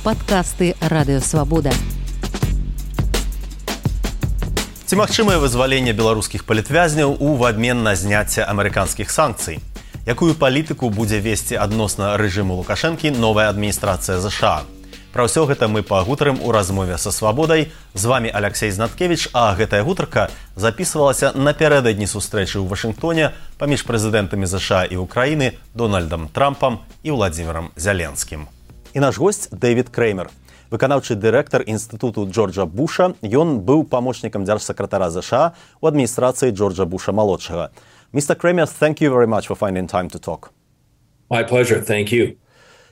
Падкасты Радыёвабода. Ці магчымае вызваленне беларускіх палітвязняў у абмен на зняцце амерыканскіх санкцый? Якую палітыку будзе весці адносна рэжыму Лукашэнкі новая адміністрацыя ЗША? Пра ўсё гэта мы пагутарым у размове са Свабодай. З вами Алексей Знаткевич, а гэтая гутарка запісвалася напярэдадні сустрэчы ў Вашынгтоне паміж прэзідэнтамі ЗША і Украіны Дональдам Трампам і Владзімірам Зяленскім. І наш госць Дэвід Креймер, выканаўчы дырэктар інстытуту Джорджа Буша. Ён быў памочнікам дзяржсакратара ЗША у адміністрацыі Джорджа Буша-малодшага. Mr. Kramer, thank you very much for finding time to talk. My pleasure, thank you.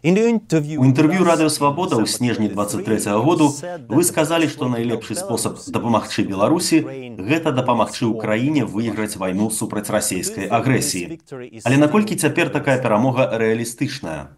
У інтэрв'ю Радыёвабода ў снежні 23-го году вы сказалі, што найлепшы спосаб дапамагчы Беларусі – гэта дапамагчы ўкраіне выйграць вайну супраць расійскай агрэсіі. Але наколькі цяпер такая перамога рэалістычная?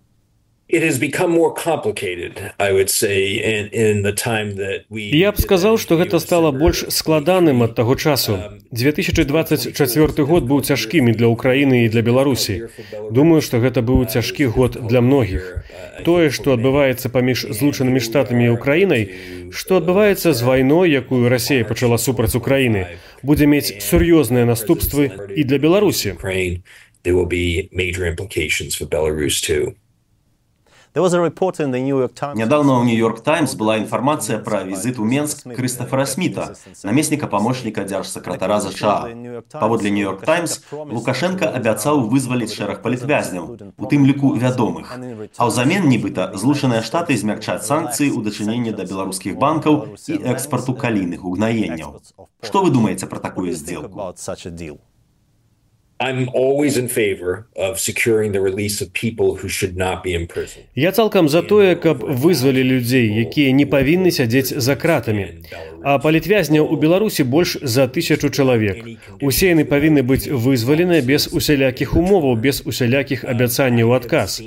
It has become more complicated, I would say, in the time that we... Я б сказаў, што гэта стала больш складаным ад таго часу. 2024 год быў цяжкім і для Украіны, і для Беларусі. Думаю, што гэта быў цяжкі год для многіх. Тое, што адбываецца паміж Злучанымі Штатамі і Украінай, што адбываецца з вайной, якую Расія пачала супраць Украіны, будзе мець сур'ёзныя наступствы і для Беларусі. There will be major implications for Belarus too. Нядаўна ў Нью-Йорк Таймс была інфармацыя пра візіт у Менск Крыстафера Сміта, намесніка памочніка дзяржсакратара ЗША. Паводле Нью-Йорк Таймс, Лукашенка абяцаў вызваліць шэраг палітвязняў, у тым ліку вядомых. А ўзамен, нібыта, Злучаныя Штаты змякчаць санкцыі ў дачыненні да беларускіх банкаў і экспарту калійных угнаенняў. Што вы думаеце пра такую здзелку? I'm always in favor of securing the release of people who should not be in prison. Я цалкам за тое, каб вызвалі людзей, якія не павінны сядзець за кратамі. А палітвязняў у Беларусі больш за 1000 чалавек. Усе яны павінны быць вызваленыя без усялякіх умоваў, без усялякіх абяцанняў у адказ.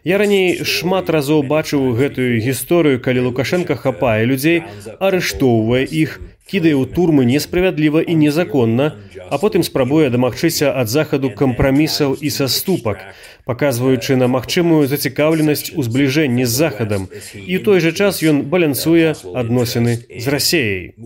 Я раней шмат разоў бачыў гэтую гісторыю, калі Лукашенка хапае людзей, арыштоўвае іх, кідае ў турмы несправядліва і незаконна, а потым спрабуе дамагчыся ад захаду кампрамісаў і саступак, паказваючы на магчымую зацікаўленасць у збліжэнні з захадам, і ў той жа час ён балянсуе адносіны з Расіяй.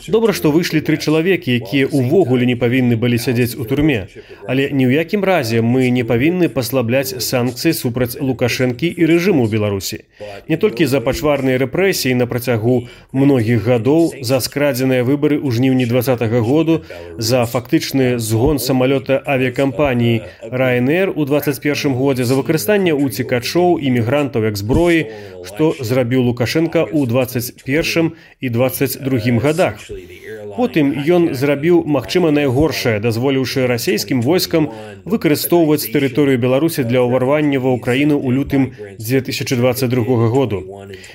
Добра, што выйшлі 3 чалавекі, якія ўвогуле не павінны былі сядзець у турме, але ні ў якім разе мы не павінны паслабляць санкцыі супраць Лукашэнкі і рэжыму ў Беларусі. Не толькі за пачварныя рэпрэсіі на працягу многіх гадоў, за скрадзеныя выбары ў жніўні 2020 году, за фактычны згон самалёта авіякампаніі Ryanair у 2021 годзе, за выкарыстанне уцекачоў і мігрантаў як зброі, што зрабіў Лукашенка ў 2021 і 2022 годах. Потым ён зрабіў, магчыма, найгоршае, дазволіўшы расійскім войскам выкарыстоўваць тэрыторыю Беларусі для ўварвання ва ўкраіну ў лютым 2022 году.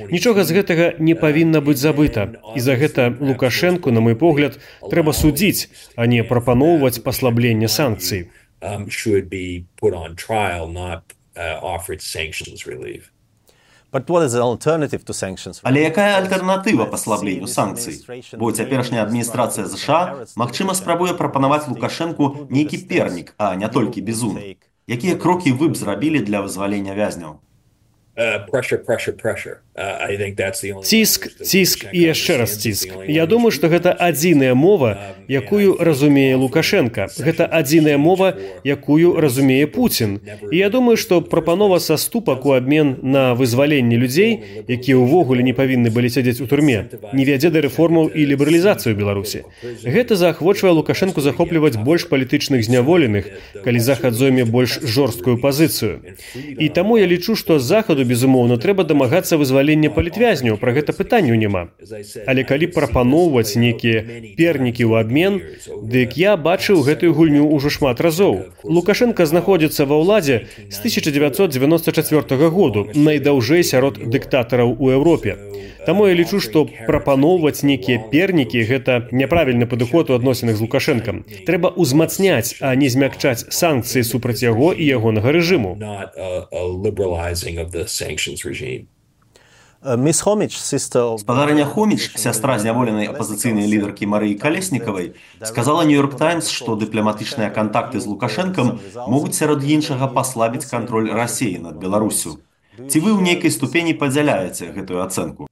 Нічога з гэтага не павінна быць забыта, і за гэта Лукашенку, на мой погляд, трэба судзіць, а не прапаноўваць паслабленне санкцый. Should be put on trial, not offered sanctions relief. Але якая альтэрнатыва паслабленню санкцый? Бо цяперашняя адміністрацыя ЗША, магчыма, спрабуе прапанаваць Лукашэнку нейкі пернік, а не толькі бізун. Якія крокі вы б зрабілі для вызвалення вязняў? Ціск і яшчэ раз ціск. Я думаю, што гэта адзіная мова, якую разумее Лукашенка. Гэта адзіная мова, якую разумее Пуцін. І я думаю, што прапанова саступак у абмен на вызваленне людзей, якія ўвогуле не павінны былі сядзець у турме, не вядзе да рэформаў і лібералізацыю Беларусі. Гэта заахвочвае Лукашэнку захопліваць больш палітычных зняволеных, калі Захад зойме больш жорсткую пазіцыю. І таму я лічу, што з Захаду безумоўна, трэба дамагацца вызвалення палітвязняў, пра гэта пытанняў няма. Але калі прапаноўваць нейкія пернікі ў абмен, дык я бачыў гэтую гульню ўжо шмат разоў. Лукашенка знаходзіцца ва ўладзе з 1994 году, найдаўжэй сярод дыктатараў у Еўропе. Таму я лічу, што прапаноўваць нейкія пернікі – гэта няправільны падыход у адносінах з Лукашэнкам. Трэба ўзмацняць, а не змякчаць санкцыі супраць яго і ягонага рэжыму. Спадарня Хоміч, сястра зняволенай апазіцыйнай лідаркі Марыі Калеснікавай, сказала Нью-Йорк Таймс, што дыпламатычныя кантакты з Лукашэнкам могуць сярод іншага паслабіць кантроль Расіі над Беларусю. Ці вы ў нейкай ступені падзяляеце гэтую ацэнку?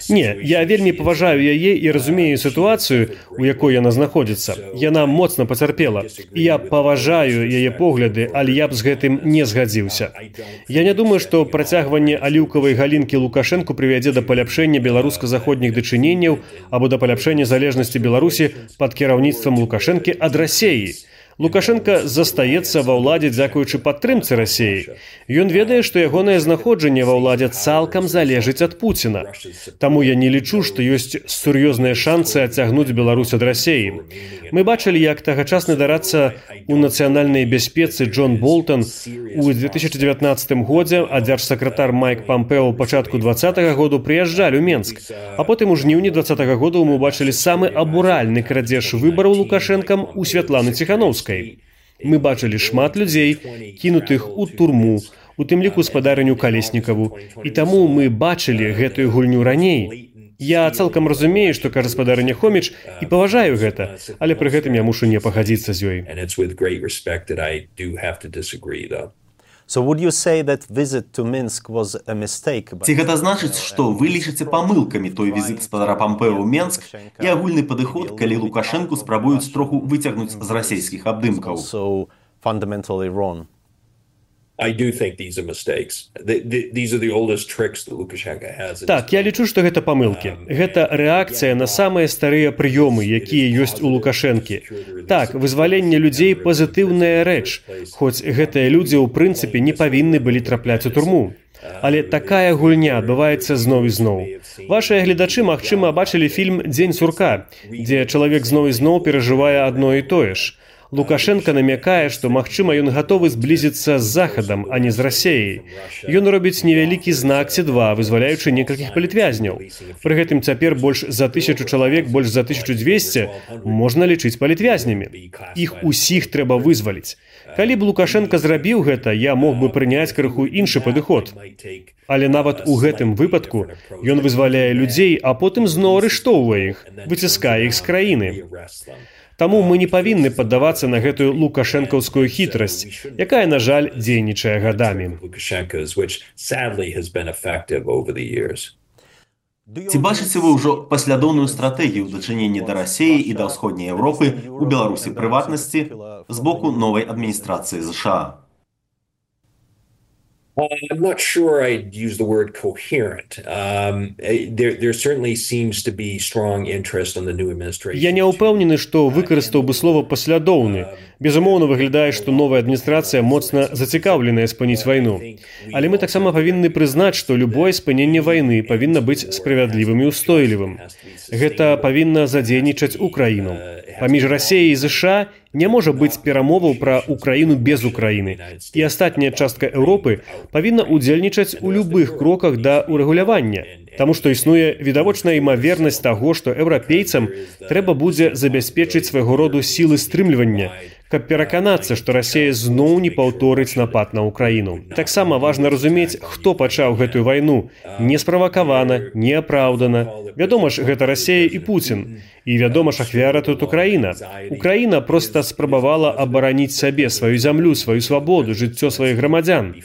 Не, я вельмі паважаю яе і разумею сітуацыю, у якой яна знаходзіцца. Яна моцна пацярпела. І я паважаю яе погляды, але я б з гэтым не згадзіўся. Я не думаю, што працягванне аліўкавай галінкі Лукашэнку прывядзе да паляпшэння беларуска-заходніх дачыненняў або да паляпшэння залежнасці Беларусі пад кіраўніцтвам Лукашэнкі ад Расіі. Лукашенко застаецца ва ўладзе дзякуючы падтрымцы Расіі. Ён ведае, што ягонае знаходжанне ва ўладзе цалкам залежыць ад Пуціна. Таму я не лічу, што ёсць сур'ёзныя шанцы адцягнуць Беларусь ад Расіі. Мы бачылі, як тагачасны дарадца ў нацыянальнай бяспецы Джон Болтон у 2019 годзе, а дзяржсакратар Майк Пампео ў пачатку 2020 году прыязджалі ў Менск. А потым у жніўні 2020 году мы бачылі самы абуральны крадзеж выбараў Лукашэнкам у Святланы Ціханаўскай. Мы бачылі шмат людзей, кінутых у турму, у тым ліку спадарыню Калеснікаву. І таму мы бачылі гэтую гульню раней. Я цалкам разумею, што кажа спадарыня Хоміч, і паважаю гэта, але пры гэтым я мушу не пагадзіцца з ёй. Ці гэта значыць, што вы лічыце памылкамі той візіт спадара Пампео ў Менск і агульны падыход, калі Лукашэнку спрабуюць троху выцягнуць з расійскіх абдымкаў? Так, я лічу, што гэта памылкі. Гэта рэакцыя на самыя старыя прыёмы, якія ёсць у Лукашэнкі. Так, вызваленне людзей – пазітыўная рэч, хоць гэтыя людзі ў прынцыпе не павінны былі трапляць у турму. Але такая гульня адбываецца зноў і зноў. Вашыя гледачы, магчыма, бачылі фільм «Дзень сурка», дзе чалавек зноў і зноў перажывае адно і тое ж. Лукашенко намякае, што, магчыма, ён гатовы зблізіцца з Захадам, а не з Расіяй. Ён робіць невялікі знак ці два, вызваляючы некалькіх палітвязняў. Пры гэтым цяпер больш за 1000 чалавек, больш за 1200 можна лічыць палітвязнямі. Іх усіх трэба вызваліць. Калі б Лукашенко зрабіў гэта, я мог бы прыняць крыху іншы падыход. Але нават у гэтым выпадку ён вызваляе людзей, а потым зноў арыштоўвае іх, выціскае іх з краіны. Таму мы не павінны паддавацца на гэтую лукашэнкаўскую хітрасць, якая, на жаль, дзейнічае гадамі. Ці бачыце вы ўжо паслядоўную стратэгію ў дачыненні да Расіі і да ўсходняй Еўропы, у Беларусі прыватнасці, з боку новай адміністрацыі США? I'm not sure I'd use the word coherent. There certainly seems to be strong interest on the new administration. Я не ўпэўнены, што выкарыстаў бы слова «паслядоўны». Безумоўна, выглядае, што новая адміністрацыя моцна зацікаўленая спыніць вайну. Але мы таксама павінны прызнаць, што любое спыненне вайны павінна быць справядлівым і ўстойлівым. Гэта павінна задзейнічаць Украіну. Паміж Расіяй і США не можа быць перамоваў пра Украіну без Украіны. І астатняя частка Еўропы павінна ўдзельнічаць у любых кроках да ўрэгулявання. Таму што існуе відавочная імавернасць таго, што еўрапейцам трэба будзе забяспечыць свайго роду сілы стрымлівання, каб пераканацца, што Расія зноў не паўторыць напад на Украіну. Таксама важна разумець, хто пачаў гэтую вайну. Не справакавана, не апраўдана. Вядома ж, гэта Расія і Пуцін. І вядома ж, ахвяра тут Украіна. Украіна проста спрабавала абараніць сабе, сваю зямлю, сваю свабоду, жыццё сваіх грамадзян.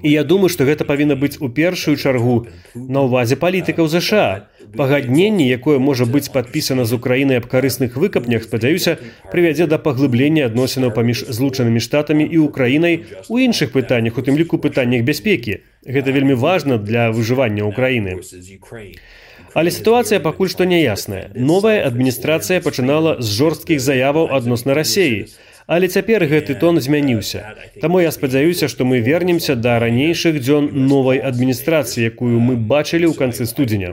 І я думаю, што гэта павінна быць у першую чаргу на ўвазе палітыкаў США. Пагадненне, якое можа быць падпісана з Украінай аб карысных выкапнях, спадзяюся, прывядзе да паглыблення адносінаў паміж Злучанымі Штатамі і Украінай у іншых пытаннях, у тым ліку пытаннях бяспекі. Гэта вельмі важна для выжывання Украіны. Але сітуацыя пакуль што няясная. Новая адміністрацыя пачынала з жорсткіх заяваў адносна Расіі. Але цяпер гэты тон змяніўся. Таму я спадзяюся, што мы вернемся да ранейшых дзён новай адміністрацыі, якую мы бачылі ў канцы студзеня.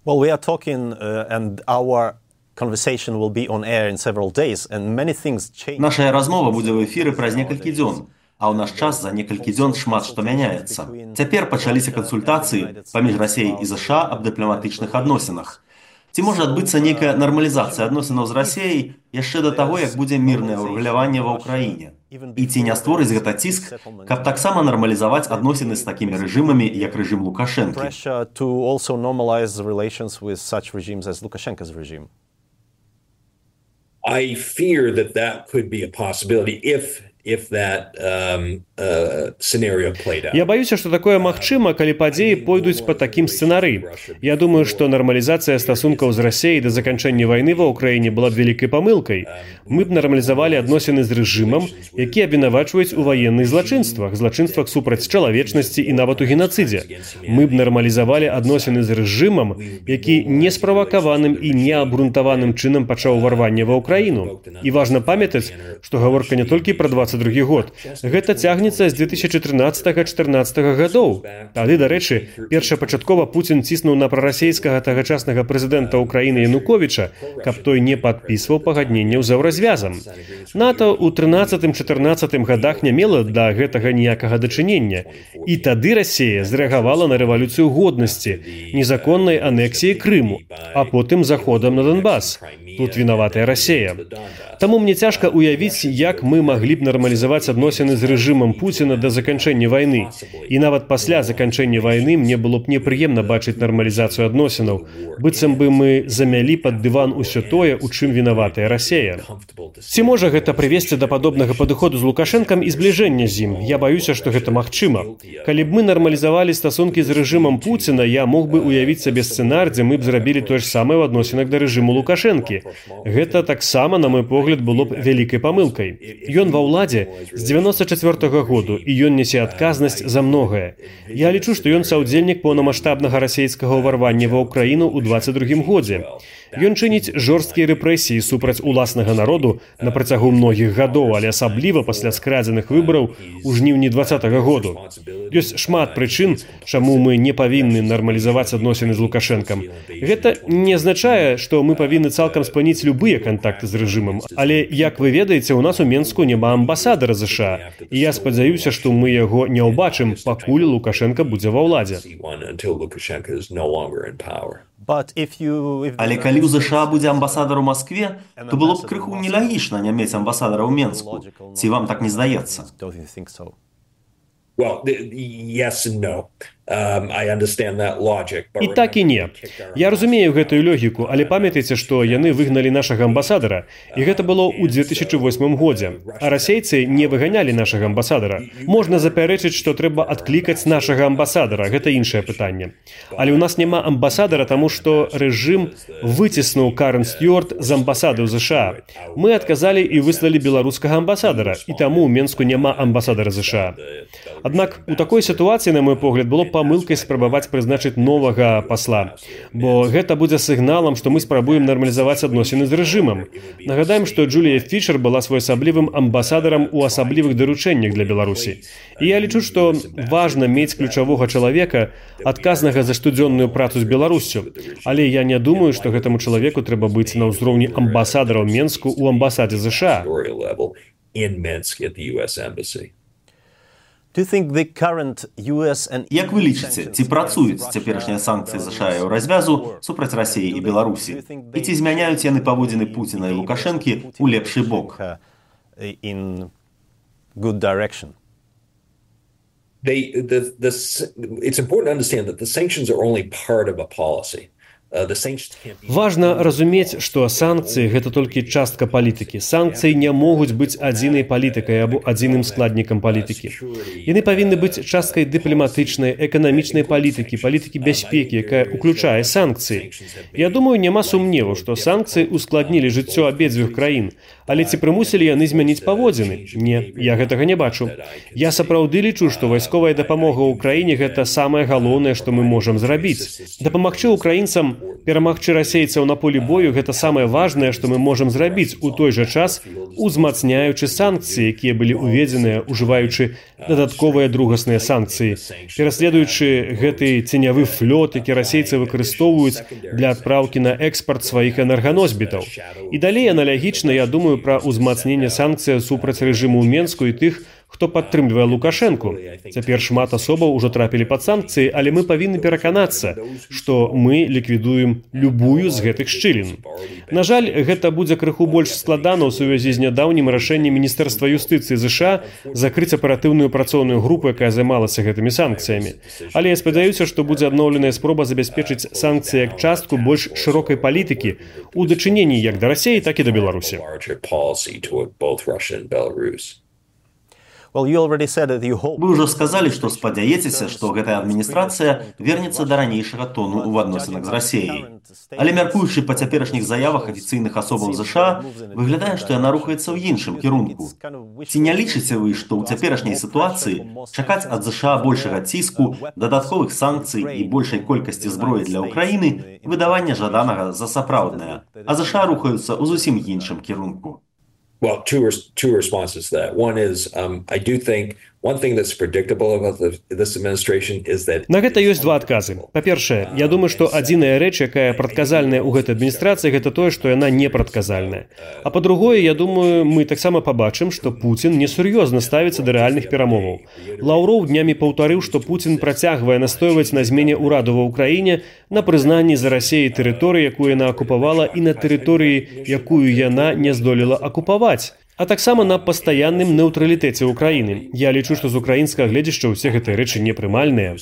Well, we are talking and our conversation will be on air in several days and many things change. Наша размова будзе ў эфіры праз некалькі дзён. А ў наш час за некалькі дзён шмат што мяняецца. Цяпер пачаліся кансультацыі паміж Расіяй і США аб дыпламатычных адносінах. Ці можа адбыцца нейкая нармалізацыя адносінаў з Расіяй яшчэ да таго, як будзе мірнае ўрэгуляванне ва ўкраіне? І ці не створыць гэта ціск, каб таксама нармалізаваць адносіны з такімі рэжымамі, як рэжым Лукашэнкі? I fear that could be a possibility if that scenario played out. Я баюся, што такое магчыма, калі падзеі пойдуць па такім сцэнарыі. Я думаю, што нармалізацыя стасункаў з Расіяй да заканчэння вайны ва ўкраіне была б вялікай памылкай. Мы б нармалізавалі адносіны з рэжымам, які абвінавачваюць у ваенных злачынствах супраць чалавечнасці і нават у генацыдзе. Мы б нармалізавалі адносіны з рэжымам, які несправакаваным і неабгрунтаваным чынам пачаў уварванне ва ўкраіну. І важна памятаць, што гаворка не толькі пра 22 год. Гэта цягнецца з 2013-14 гадоў. Тады, дарэчы, першапачаткова Пуцін ціснуў на прарасейскага тагачаснага прэзідэнта ўкраіны Януковіча, каб той не падпісваў пагадненняў з еўразвязам. НАТО ў 13-14 гадах не мела да гэтага ніякага дачынення. І тады Расія зрэагавала на рэвалюцыю годнасці, незаконнай анексіі Крыму, а потым заходам на Донбас. Тут вінаватая Расія. Таму мне цяжка ўявіць, як мы маглі б нармалізаваць адносіны з рэжымам Пуціна да заканчэння вайны. І нават пасля заканчэння вайны мне было б непрыемна бачыць нармалізацыю адносінаў, быццам бы мы замялі пад дыван усё тое, у чым вінаватая Расія. Ці можа гэта прывесці да падобнага падыходу з Лукашэнкам і збліжэння з ім? Я баюся, што гэта магчыма. Калі б мы нармалізавалі стасункі з рэжымам Пуціна, я мог бы ўявіць сабе сцэнар, дзе мы б зрабілі тое ж самае ў адносінах да рэжыму Лукашэнкі. Гэта таксама, на мой погляд, было б вялікай памылкай. Ён ва ўладзе з 94-го году, і ён нясе адказнасць за многае. Я лічу, што ён саўдзельнік поўнамаштабнага расейскага ўварвання ва ўкраіну ў 22-м годзе. Ён чыніць жорсткія рэпрэсіі супраць уласнага народу на працягу многіх гадоў, але асабліва пасля скрадзеных выбараў у жніўні 20-го году. Ёсць шмат прычын, чаму мы не павінны нармалізаваць адносіны з Лукашэнкам. Гэта не азначае, што мы павінны цалкам спыніць любыя кантакты з рэжымам, але, як вы ведаеце, у нас у Менску няма амбасадара ZША, і я спадзяюся, што мы яго не ўбачым, пакуль Лукашэнка будзе ва ўладзе. Але калі ў ЗША будзе амбасадар у Маскве, то было б крыху нелагічна не мець амбасадара ў Менску. Ці вам так не здаецца? Well, yes and no. I understand that logic. І так і не. Я разумею гэтую логіку, але памятайце, што яны выгналі нашага амбасадара, і гэта было ў 2008 годзе. А расейцы не выганялі нашага амбасадара. Можна запярэчыць, што трэба адклікаць нашага амбасадара, гэта іншае пытанне. Але ў нас няма амбасадара, таму што рэжым выціснуў Карен Стюарт з амбасады ў ЗША. Мы адказалі і выслалі беларускага амбасадара, і таму ў Менску няма амбасадара ЗША. Аднак у такой сітуацыі, на мой погляд, было памылкай спрабаваць прызначыць новага пасла, бо гэта будзе сігналам, што мы спрабуем нармалізаваць адносіны з рэжымам. Нагадаем, што Джулія Фішер была своеасаблівым амбасадарам у асаблівых даручэннях для Беларусі. І я лічу, што важна мець ключавога чалавека, адказнага за штодзённую працу з Беларуссю. Але я не думаю, што гэтаму чалавеку трэба быць на ўзроўні амбасадара ў Менску ў амбасадзе ZША. Як вы лічыце, ці працуюць цяперашнія санкцыі ZША і развязу супраць Расіі і Беларусі? І ці змяняюць яны паводзіны Пуціна і Лукашэнкі ў лепшы бок? It's important to understand that the sanctions are only part of a policy. Важна разумець, што санкцыі – гэта толькі частка палітыкі. Санкцыі не могуць быць адзінай палітыкай або адзіным складнікам палітыкі. Яны павінны быць часткай дыпламатычнай, эканамічнай палітыкі, палітыкі бяспекі, якая ўключае санкцыі. Я думаю, няма сумневу, што санкцыі ускладнілі жыццё абедзвюх краін. Але ці прымусілі яны змяніць паводзіны? Не, я гэтага не бачу. Я сапраўды лічу, што вайсковая дапамога ўкраіне – гэта самае галоўнае, што мы можам зрабіць. Дапамагчы ўкраінцам перамагчы расейцаў на полі бою – гэта самае важнае, што мы можам зрабіць, у той жа час узмацняючы санкцыі, якія былі ўведзеныя, ужываючы дадатковыя другасныя санкцыі, пераследуючы гэты ценявы флот, які расейцы выкарыстоўваюць для адпраўкі на экспарт сваіх энерганосьбітаў. І далей аналагічна, я думаю, пра ўзмацненне санкцый супраць рэжыму ў Менску і тых, хто падтрымлівае Лукашэнку. Цяпер шмат асобаў ужо трапілі пад санкцыі, але мы павінны пераканацца, што мы ліквідуем любую з гэтых шчылін. На жаль, гэта будзе крыху больш складана ў сувязі з нядаўнім рашэннем Міністэрства юстыцыі ЗША закрыць аператыўную працоўную групу, якая займалася гэтымі санкцыямі. Але я спадзяюся, што будзе адноўленая спроба забяспечыць санкцыі як частку больш шырокай палітыкі ў дачыненні як да Расіі, так і да Беларусі. Вы ўжо сказалі, што спадзяецеся, што гэтая адміністрацыя вернецца да ранейшага тону ў адносінах з Расіяй. Але мяркуючы па цяперашніх заявах афіцыйных асобаў ЗША, выглядае, што яна рухаецца ў іншым кірунку. Ці не лічыце вы, што ў цяперашняй сітуацыі чакаць ад ЗША большага ціску, дадатковых санкцый і большай колькасці зброі для ўкраіны выдавання жаданага за сапраўднае, а ЗША рухаюцца ў зусім іншым кірунку? Well, two responses to that. One is, I do think one thing that's predictable about this administration is that... На гэта ёсць два адказы. Па-першае, я думаю, што адзіная рэч, якая прадказальная ў гэтай адміністрацыі, гэта тое, што яна не прадказальная. А па-другое, я думаю, мы таксама пабачым, што Пуцін несур'ёзна ставіцца да рэальных перамоваў. Лаўроў днямі паўтарыў, што Пуцін працягвае настойваць на змене ўраду ва ўкраіне, на прызнанні за Расіяй тэрыторыі, якую яна акупавала, і на тэрыторыі, якую яна не здолела акупаваць. А таксама на пастаянным нейтралітэце ўкраіны. Я лічу, што з украінскага гледзяшча ўсе гэтыя рэчы непрымальныя.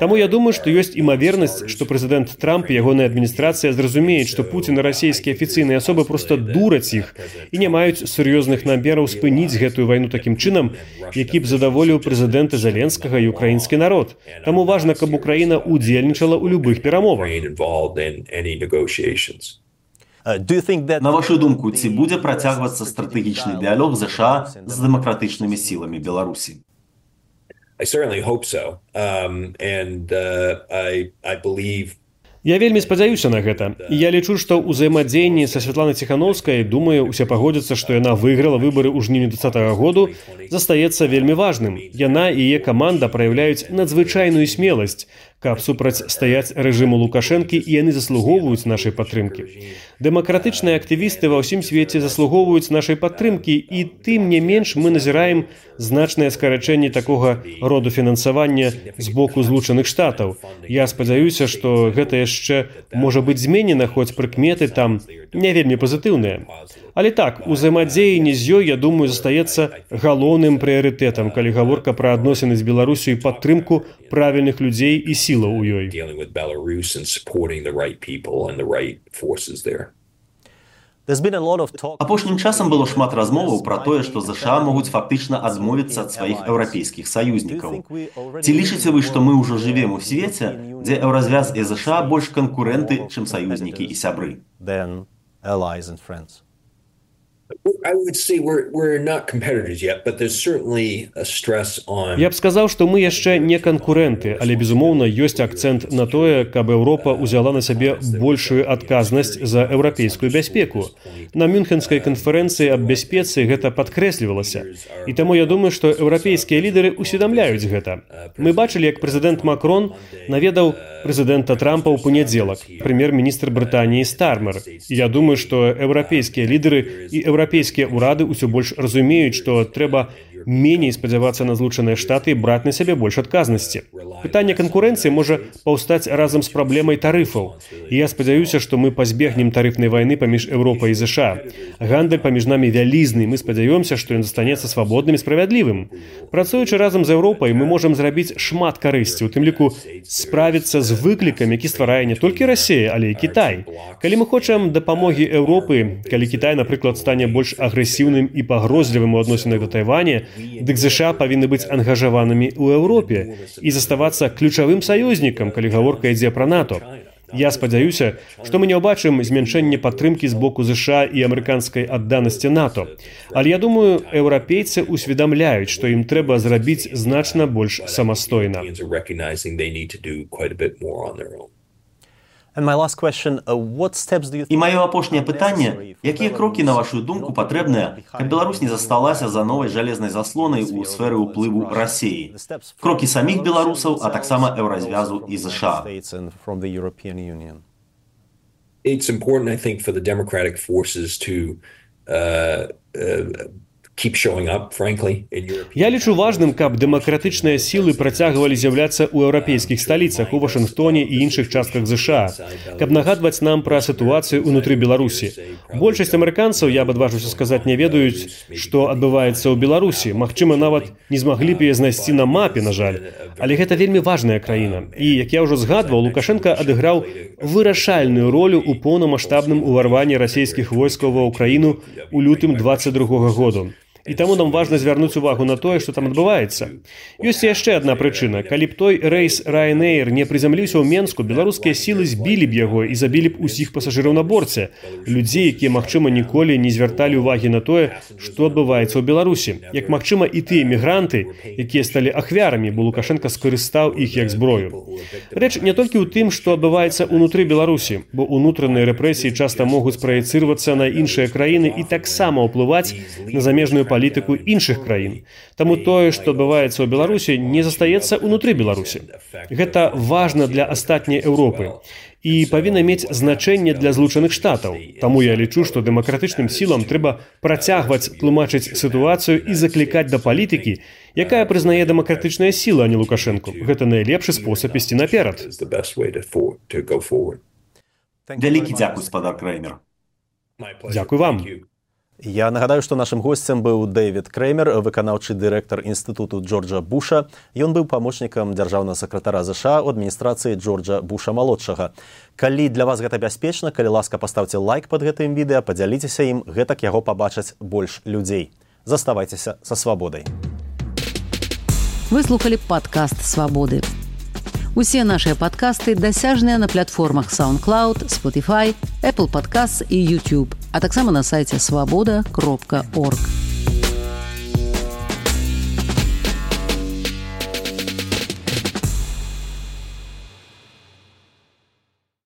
Таму я думаю, што ёсць імавернасць, што прэзідэнт Трамп і ягоная адміністрацыя зразумеюць, што Пуцін і расійскія афіцыйныя асобы проста дураць іх і не маюць сур'ёзных намераў спыніць гэтую вайну такім чынам, які б задаволіў прэзідэнта Зеленскага і украінскі народ. Таму важна, каб Украіна удзельнічала ў любых перамовах. На вашу думку, ці будзе працягвацца стратэгічны дыялог ЗША з дэмакратычнымі сіламі Беларусі? I certainly hope so. I believe Я вельмі спадзяюся на гэта. І я лічу, што ў ўзаемадзеянні са Святланай Ціханаўскай, думаю, усе пагодзяцца, што яна выйграла выбары ў жніўні 2020 году, застаецца вельмі важным. Яна і яе каманда праяўляюць надзвычайную смеласць, каб супрацьстаяць рэжыму Лукашэнкі, і яны заслугоўваюць нашай падтрымкі. Дэмакратычныя актывісты ва ўсім свеце заслугоўваюць нашай падтрымкі, і тым не менш мы назіраем значнае скарачэнне такога роду фінансавання з боку Злучаных Штатаў. Я спадзяюся, што гэта яшчэ можа быць зменена, хоць прыкметы там не вельмі пазітыўныя. Але так, узаемадзеянне з ёй, я думаю, застаецца галоўным прыярытэтам, калі гаворка пра адносіны з Беларусю і падтрымку правільных людзей і сілаў у ёй. Апошнім часам было шмат размоваў пра тое, што ЗША могуць фактычна адмовіцца ад сваіх еўрапейскіх саюзнікаў. Ці лічыце вы, што мы ўжо жывем у свеце, дзе еўразвяз і ЗША больш канкурэнты, чым саюзнікі і сябры? I would say we're not competitors yet, but there's certainly a stress on... Я б сказаў, што мы яшчэ не канкурэнты, але, безумоўна, ёсць акцэнт на тое, каб Еўропа ўзяла на сябе большую адказнасць за еўрапейскую бяспеку. На Мюнхенскай канферэнцыі аб бяспецы гэта падкрэслівалася. І таму я думаю, што еўрапейскія лідары усведамляюць гэта. Мы бачылі, як прэзідэнт Макрон наведаў прэзідэнта Трампа ў панядзелак, прэм'ер-міністр Брытаніі Стармер. І я думаю, што еўрапейскія лідары і еўрапейскія ўрады ўсё больш разумеюць, што трэба меней спадзявацца на Злучаныя Штаты і браць на сябе больш адказнасці. Пытанне канкурэнцыі можа паўстаць разам з праблемай тарыфаў. І я спадзяюся, што мы пазбегнем тарыфнай вайны паміж Еўропай і ЗША. Гандаль паміж намі вялізны, мы спадзяёмся, што ён застанецца свабодным і справядлівым. Працуючы разам з Еўропай, мы можам зрабіць шмат карысці, у тым ліку справіцца з выклікам, які стварае не толькі Расія, але і Кітай. Калі мы хочам дапамогі Еўропы, калі Кітай, напрыклад, стане больш агрэсіўным і пагрозлівым у адносінах да Тайваня, дык ЗША павінны быць ангажаванымі ў Еўропе і заставацца ключавым саюзнікам, калі гаворка ідзе пра НАТО. Я спадзяюся, што мы не ўбачым змяншэнне падтрымкі з боку ЗША і амерыканскай адданасці НАТО. Але я думаю, еўрапейцы усведамляюць, што ім трэба зрабіць значна больш самастойна. І маё апошняе пытанне, якія крокі, на вашу думку, патрэбныя, каб Беларусь не засталася за новай жалезнай заслонай у сферы ўплыву Расіі? Крокі саміх беларусаў, а таксама еўразвязу і ЗША. It's important, I think, for the democratic forces to keep showing up, frankly, in European. Я лічу важным, каб дэмакратычныя сілы працягвалі з'яўляцца ў еўрапейскіх сталіцах, у Вашынгтоне і іншых частках ЗША, каб нагадваць нам пра сітуацыю ўнутры Беларусі. Большасць амерыканцаў, я б адважуся сказаць, не ведаюць, што адбываецца ў Беларусі. Магчыма, нават не змаглі б яе знайсці на мапе, на жаль. Але гэта вельмі важная краіна. І, як я ўжо згадваў, Лукашенка адыграў вырашальную ролю ў поўнамаштабным уварванні расійскіх войскаў ва ўкраіну ў лютым 22-го году. І таму нам важна звярнуць увагу на тое, што там адбываецца. Ёсць яшчэ адна прычына. Калі б той рэйс Ryanair не прызямліўся ў Менску, беларускія сілы збілі б яго і забілі б усіх пасажыраў на борце. Людзей, якія, магчыма, ніколі не звярталі ўвагі на тое, што адбываецца ў Беларусі. Як, магчыма, і тыя мігранты, якія сталі ахвярамі, бо Лукашенка скарыстаў іх як зброю. Рэч не толькі ў тым, што адбываецца ўнутры Беларусі, бо ўнутраныя рэпрэсіі часта могуць праецырвацца на іншыя краіны і таксама ўплываць на замежную палітыку іншых краін. Таму тое, што адбываецца ў Беларусі, не застаецца ўнутры Беларусі. Гэта важна для астатняй Еўропы і павінна мець значэнне для Злучаных Штатаў. Таму я лічу, што дэмакратычным сілам трэба працягваць тлумачыць сітуацыю і заклікаць да палітыкі, якая прызнае дэмакратычная сіла, а не Лукашэнку. Гэта найлепшы спосаб ісці наперад. Вялікі дзякуй, спадар Креймер. Дзякуй вам. Я нагадаю, што нашым госцем быў Дэвід Креймер, выканаўчы дырэктар інстытуту Джорджа Буша. Ён быў памочнікам дзяржаўнага сакратара ЗША ў адміністрацыі Джорджа Буша-малодшага. Калі для вас гэта бяспечна, калі ласка, паставце лайк пад гэтым відэа, падзяліцеся ім, гэтак яго пабачаць больш людзей. Заставайцеся са свабодай. Вы слухалі падкаст «Свабоды». Усе нашыя падкасты дасяжныя на платформах SoundCloud, Spotify, Apple Podcasts і YouTube, а таксама на сайце swaboda.org.